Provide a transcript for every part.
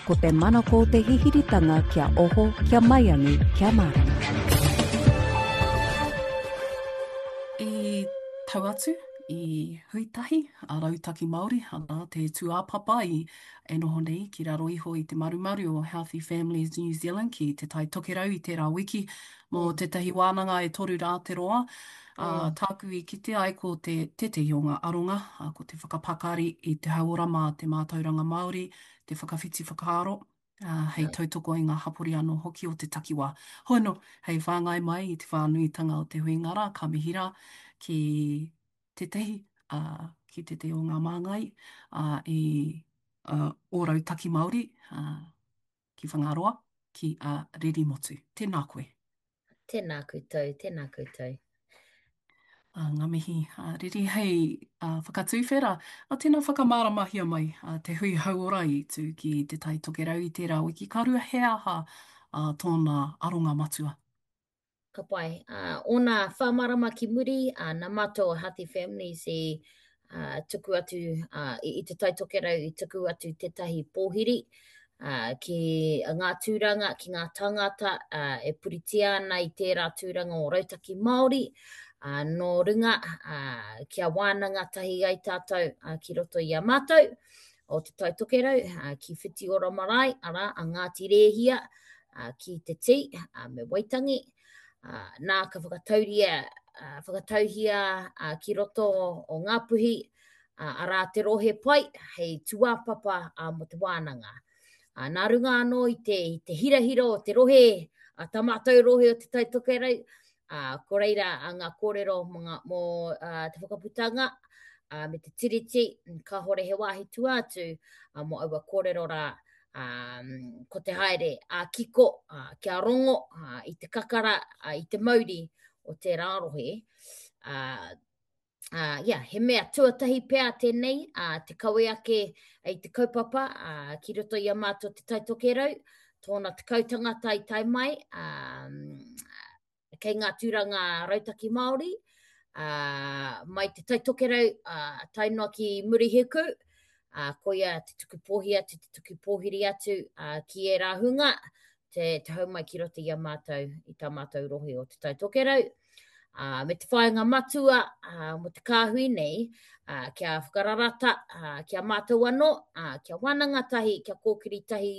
Ko te manako o te hihiritanga kia oho, kia maiangi, kia mārama. I tau atu, i hui tahi a Rautaki Māori, arā, te tūāpapa i e noho nei ki raro iho i te marumaru o Healthy Families New Zealand ki Te Tai Tokerau i tērā wiki mō tētahi wānanga e toru rā te roa. Ā, tāku i kite ai ko te tētehi o ngā aronga, ā, ko te whakapakari i te hauora mā te mātauranga Māori, te whakawhiti whakaaro, ā, hei tautoko i ngā hapori anō hoki o te takiwā. Hoi anō, hei whāngai mai i te whānuitanga o te huinga rā, ka mihi rā ki tētahi, ā, ki tētahi o ngā māngai, ā, i ā, ō Rautaki Māori, ā, ki Whangaroa, ki a Ririmotu. Tēnā koe. Tēnā koutou, tēnā koutou. Ā, ngā mihi, ā, Riri, hei ā, whakatuwhera, ā, tēnā whakamāramahia mai ā, te hui hauora i tū ki Te Tai Tokerau i tērā wiki ka rua, he aha ā, tōna aronga matua? Ka pai. Ā, ōna whā marama ki muri, ā, nā mātou o Healthy Families i ā, tuku atu ā, i, i Te Tai Tokerau i tuku atu tētahi pōhiri ā, ki ngā tūranga, ki ngā tāngata ā, e puritia ana i tērā tūranga o Rautaki Māori, ā, nō runga ā, kia wānanga tahi ai tātou ā, ki roto i a mātou o Te Tai Tokerau, ā, ki Whitiora Marae, arā, a Ngāti Rēhia, ā, ki Te Tī, ā, me Waitangi. Ā, nā ka whakatauria, ā, whakatauhia ā, ki roto o Ngāpuhi, ā, arā te rohe pai hei tūāpapa ā, mō te wānanga. Ā, nā runga anō i te, i te hirahira o te rohe, ā, tā mātou rohe o Te Tai Tokerau, ā, ko reira ā, ngā kōrero mō, ngā, mō ā, te whakaputanga ā, me te tiriti, kāhore he wāhi tua atu ā, mō aua kōrero rā, ā, ko te haere ā-kiko, ā, kia rongo ā, i te kakara, ā, i te mauri o tērā rohe, ā, ā, yeah, he mea tuatahi pea tēnei, ā, te kawe ake i te kaupapa, ā, ki roto i a mātou Te Tai Tokerau, tōna tekau tangata i tae mai, ā, kei ngā tūranga rautaki Māori, ā, mai Te Tai Tokerau, ā, tae noa ki Murihiku, ā, koia te tuku pōhi atu, te tuku pōhiri atu, ā, ki ērā hunga, te, te hau mai ki roto i a mātou, i tā mātou rohe o Te Tai Tokerau. Ā, me te whāinga matua ā, mō te kāhui nei, ā, kia whakararata ā, ki a mātou anō, ā, kia wānanga tahi, kia kōkiri tahi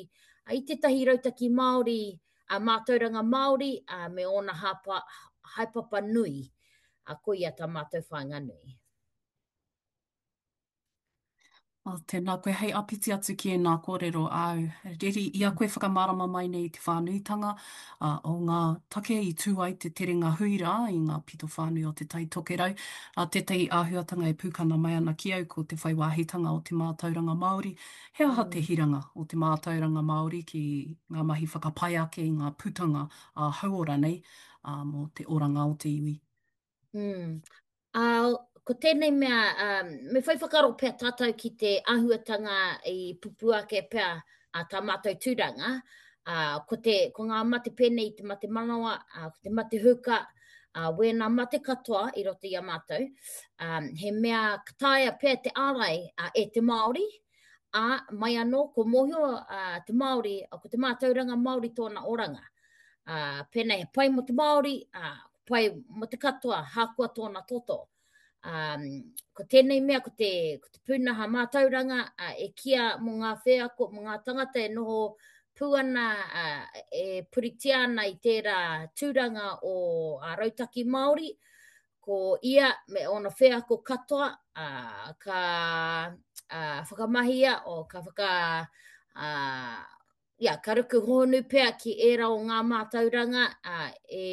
ā, i tētahi rautaki Māori, ā, mātauranga Māori ā, me ōna hāpa, haepapa nui. Ā, koia tā mātou whāinga nui. Oh, tēnā koe, hei āpiti atu ki ēnā kōrero āu. Reri, i a koe whakamārama mai nei i te whānuitanga uh, o ngā take i tū ai te terenga hui rā i ngā pito whānui o Te Tai Tokerau, uh, tētahi āhuatanga e pūkana mai ana ki au ko te whai wāhitanga o te mātauranga Māori. He aha te hiranga o te mātauranga Māori ki ngā mahi whakapai ake i ngā putanga ā-hauora nei uh, mō te oranga o te iwi? Mm. Ā, ko tēnei mea, ā, me whai whakaaro pea tātou ki te āhuatanga i pupū ake pea ā tā mātou tūranga, ā, ko te, ko ngā mate pēnei i te mate manawa, ā, ko te mate huka, ā, wēnā mate katoa i roto i a mātou, ā, he mea ka taea pea te ārai ā, e te Māori, ā, mai anō, ko mōhio ā, te Māori, ko te mātauranga Māori tōna oranga. Ā, pēnei he pai mō te Māori, ā, pai mō te katoa, hākoa tōna toto. Um, ko tēnei mea, ko te, ko te pūnaha mātauranga uh, e kia mō ngā wheako, mō ngā tangata e noho pū ana, uh, e puritia ana i tērā tūranga o a Rautaki Māori, ko ia me ōna wheako katoa uh, ka uh, whakamahia o ka whaka uh, ia, ka ruku hōhonu pea ki ērā o ngā mātauranga ā, e,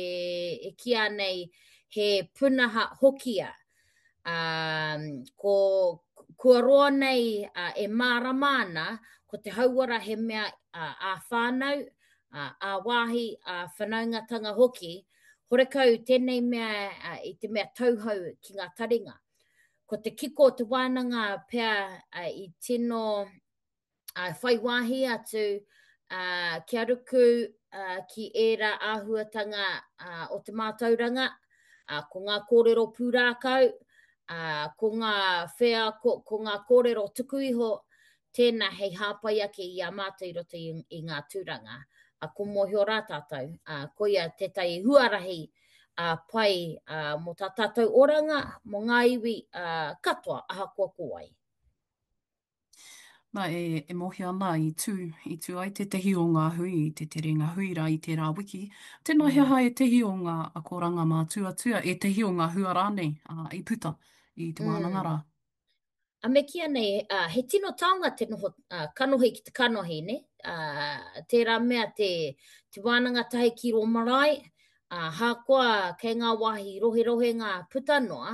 e kīa nei he punaha hokia. Ā, ko, kua roa nei ā, e mārama ana ko te hauora he mea ā, ā-whānau, ā, ā-wāhi, ā-whanaungatanga hoki, horekau tēnei mea ā, i te mea tauhou ki ngā taringa. Ko te kiko o te wānanga pea ā, i tino uh, whai wāhi atu uh, kia ruku uh, ki ērā āhuatanga uh, o te mātauranga, uh, ko ngā kōrero pūrākau, uh, ko ngā wheako, ko ngā kōrero tuku iho, Tēnā hei hāpai ake i a mātou i roto i, i ngā tūranga. A, ko mōhio rā tātou, a, koia tētahi huarahi a, pai a, mō tā tātou oranga, mō ngā iwi a, katoa, ahakoa ko wai. Nā, e, e mōhio ana i tū, i tū ai tētehi o ngā hui i te terenga hui rā i tērā wiki. Tēnā he Mm. aha ētehi o ngā akoranga mātuatua, ētehi o ngā hua rānei ā, i puta i te wānanga Mm. rā? A me kīia nei, ā, he tino taonga te noho ā, kanohi ki te kanohi, nē? Ā, tērā mea te, te wānanga tahi ki rō marae, ā, hākoa kei ngā wāhi roherohenga puta noa,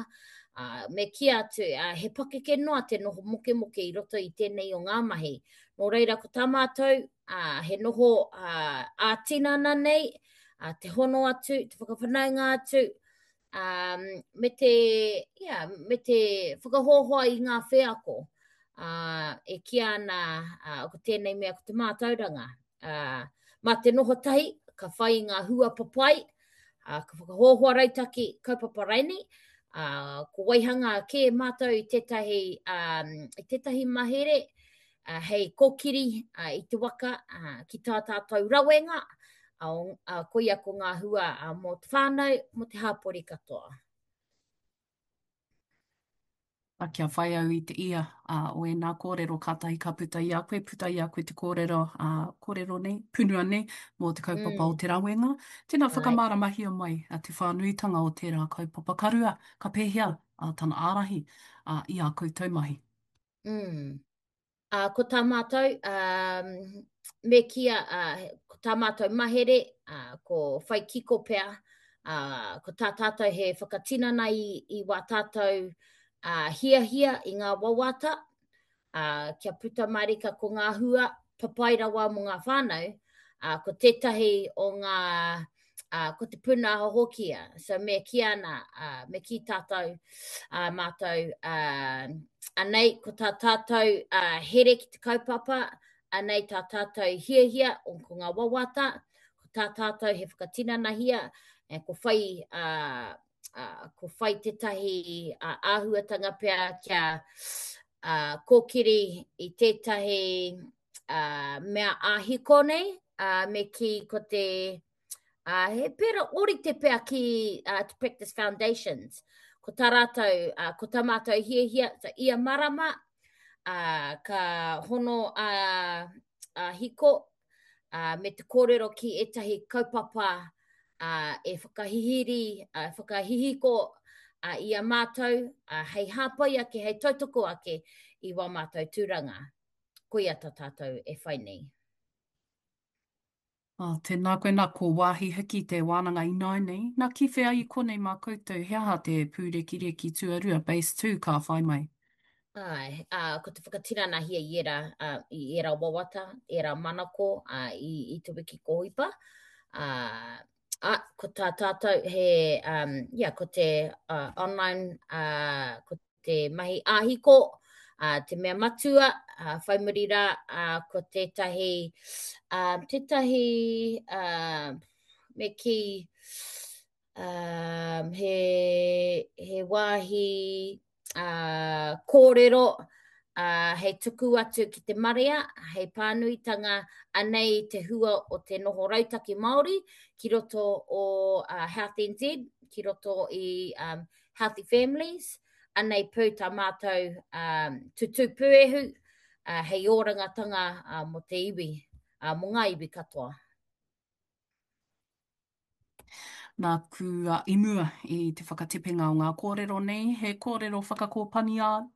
ā, me kī atu, ā, he pakeke noa te noho mokemoke i roto i tēnei o ngā mahi. Nō reira, ko tā mātou, ā, he noho ā, ā-tinana nei, ā, te hono atu, te whakawhanaunga atu, um, me te, yeah, me te whakahoahoa i ngā wheako uh, e kīa ana uh, ko tēnei mea ko te mātauranga. Uh, mā te noho tahi, ka whai i ngā hua papai, uh, ka whakahoahoa rautaki kaupapa raini, uh, ko waihanga kē mātou i tētahi, um, i tētahi mahere uh, hei kōkiri uh, i te waka uh, ki tā tātou rawenga, uh, uh, koia ko ngā hua uh, mō te whānau, mō te hāpori katoa. A kia whai au i te ia uh, o ēnā kōrero kātahi ka puta i a koe, puta i a koe te kōrero, uh, kōrero nei, punua nei, mō te kaupapa mm. o te rawenga. Tēnā whakamāramahia mai a te whānuitanga o tērā kaupapa karua, ka pēhea uh, tana ārahi uh, i ā koutou mahi. Mm. Ā, ko tā mātou, ā, me kīia, ā, ko tā mātou mahere, ā, ko whai kiko pea, ā, ko tā tātou he whakatinana i, i wā tātou, ā, hiahia i ngā wawata, ā, kia puta mārika ko ngā hua papai rawa mō ngā whānau, ā, ko tētahi o ngā, ā, ko te pūnaha hoki ia. So me kī ana, ā, me kī tātou, ā, mātou, ā, anei ko tā tātou ā, here ki te kaupapa, anei tā tātou hiahia, o ko ngā wawata, ko tā tātou he whakatinanahia, e, ko whai, ā, ā, ko whai tētahi ā, āhuatanga pea kia ā, kōkiri i tētahi ā, mea āhiko nei, ā, me kī ko te, ā, he pera ōrite pea ki uh, te Practice Foundations. Ko tā rātou, uh, ko tā mātou hiahia, so ia marama, ā, ka hono a, a hiko, ā, me te kōrero ki ētahi kaupapa ā, e whakahihiri, ā, whakahihiko ā, i a mātou, ā, hei hāpai ake, hei tautoko ake i wā mātou tūranga. Koia tā tātou e whai nei. Oh, tēnā koe, nā, ko wāhi hoki te wānanga ināianei. Nā, ki whea i konei mā koutou, he aha te pūrekireki tuarua, base 2, ka whai mai? Āe, ā, ko te whakatinanahia i ērā, ā, i ērā wawata, ērā manako, ā, i, i te wiki kōhipa. Ā, ā, ko tā tātou he, um, yeah, ko te uh, online, ā, ko te mahi āhiko, ā, te mea matua, ā, whai muri rā, ā, ko tētahi, ā, tētahi, ā, me kī, um, he, he wāhi uh, kōrero uh, hei tuku atu ki te marea, hei pānuitanga, anei te hua o te noho rautaki Māori ki roto o uh, Health NZ, ki roto i um, Healthy Families, anei pū tā mātou um, tutū pūehu uh, hei orangatanga uh, mō te iwi, uh, mō ngā iwi katoa. Nāku i mua i te whakatepenga o ngā kōrero nei, he kōrero whakakōpani āu?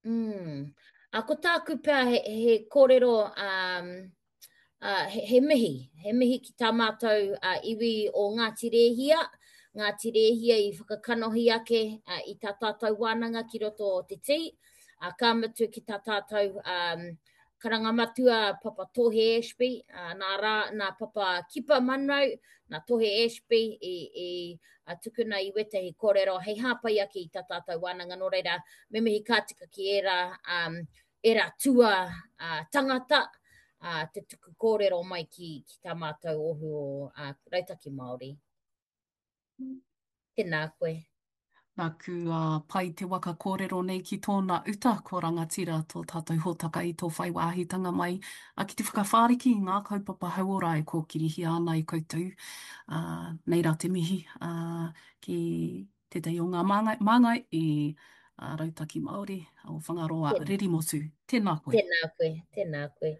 Mm. A, ko tāku pea he, he kōrero um, uh, he, he mihi, he mihi ki tā mātou uh, iwi o Ngāti Rēhia, Ngāti Rēhia i whakakanohi ake uh, i tā tātou wānanga ki roto o te tī, uh, ka mutu ki tā tātou um, Karanga matua Papa Tohe Ashby, ā, nā rā, nā Papa Kipa Munro, nā Tohe Ashby i, i a, tukuna i wētahi kōrero hei hāpai ake i tā tātou wānanga. Nō reira, me mihi ka tika ki ērā, um, ērā tua uh, tangata, uh, te tuku kōrero mai ki, ki tā mātou ohu o uh, Rautaki Māori. Tēnā koe. Nāku a pai te waka kōrero nei ki tōna uta, ko rangatira tō tātou hōtaka i tō whai wāhitanga mai a ki te whakawhāriki i ngā kaupapa hauora e kōkirihia ana e koutou. Ā, nei rā te mihi, ā, ki tētahi o ngā māngai, māngai i a Rautaki Māori o Whangaroa Tēnā. Ririmotu. Tēnā koe. Tēnā koe, tēnā koe.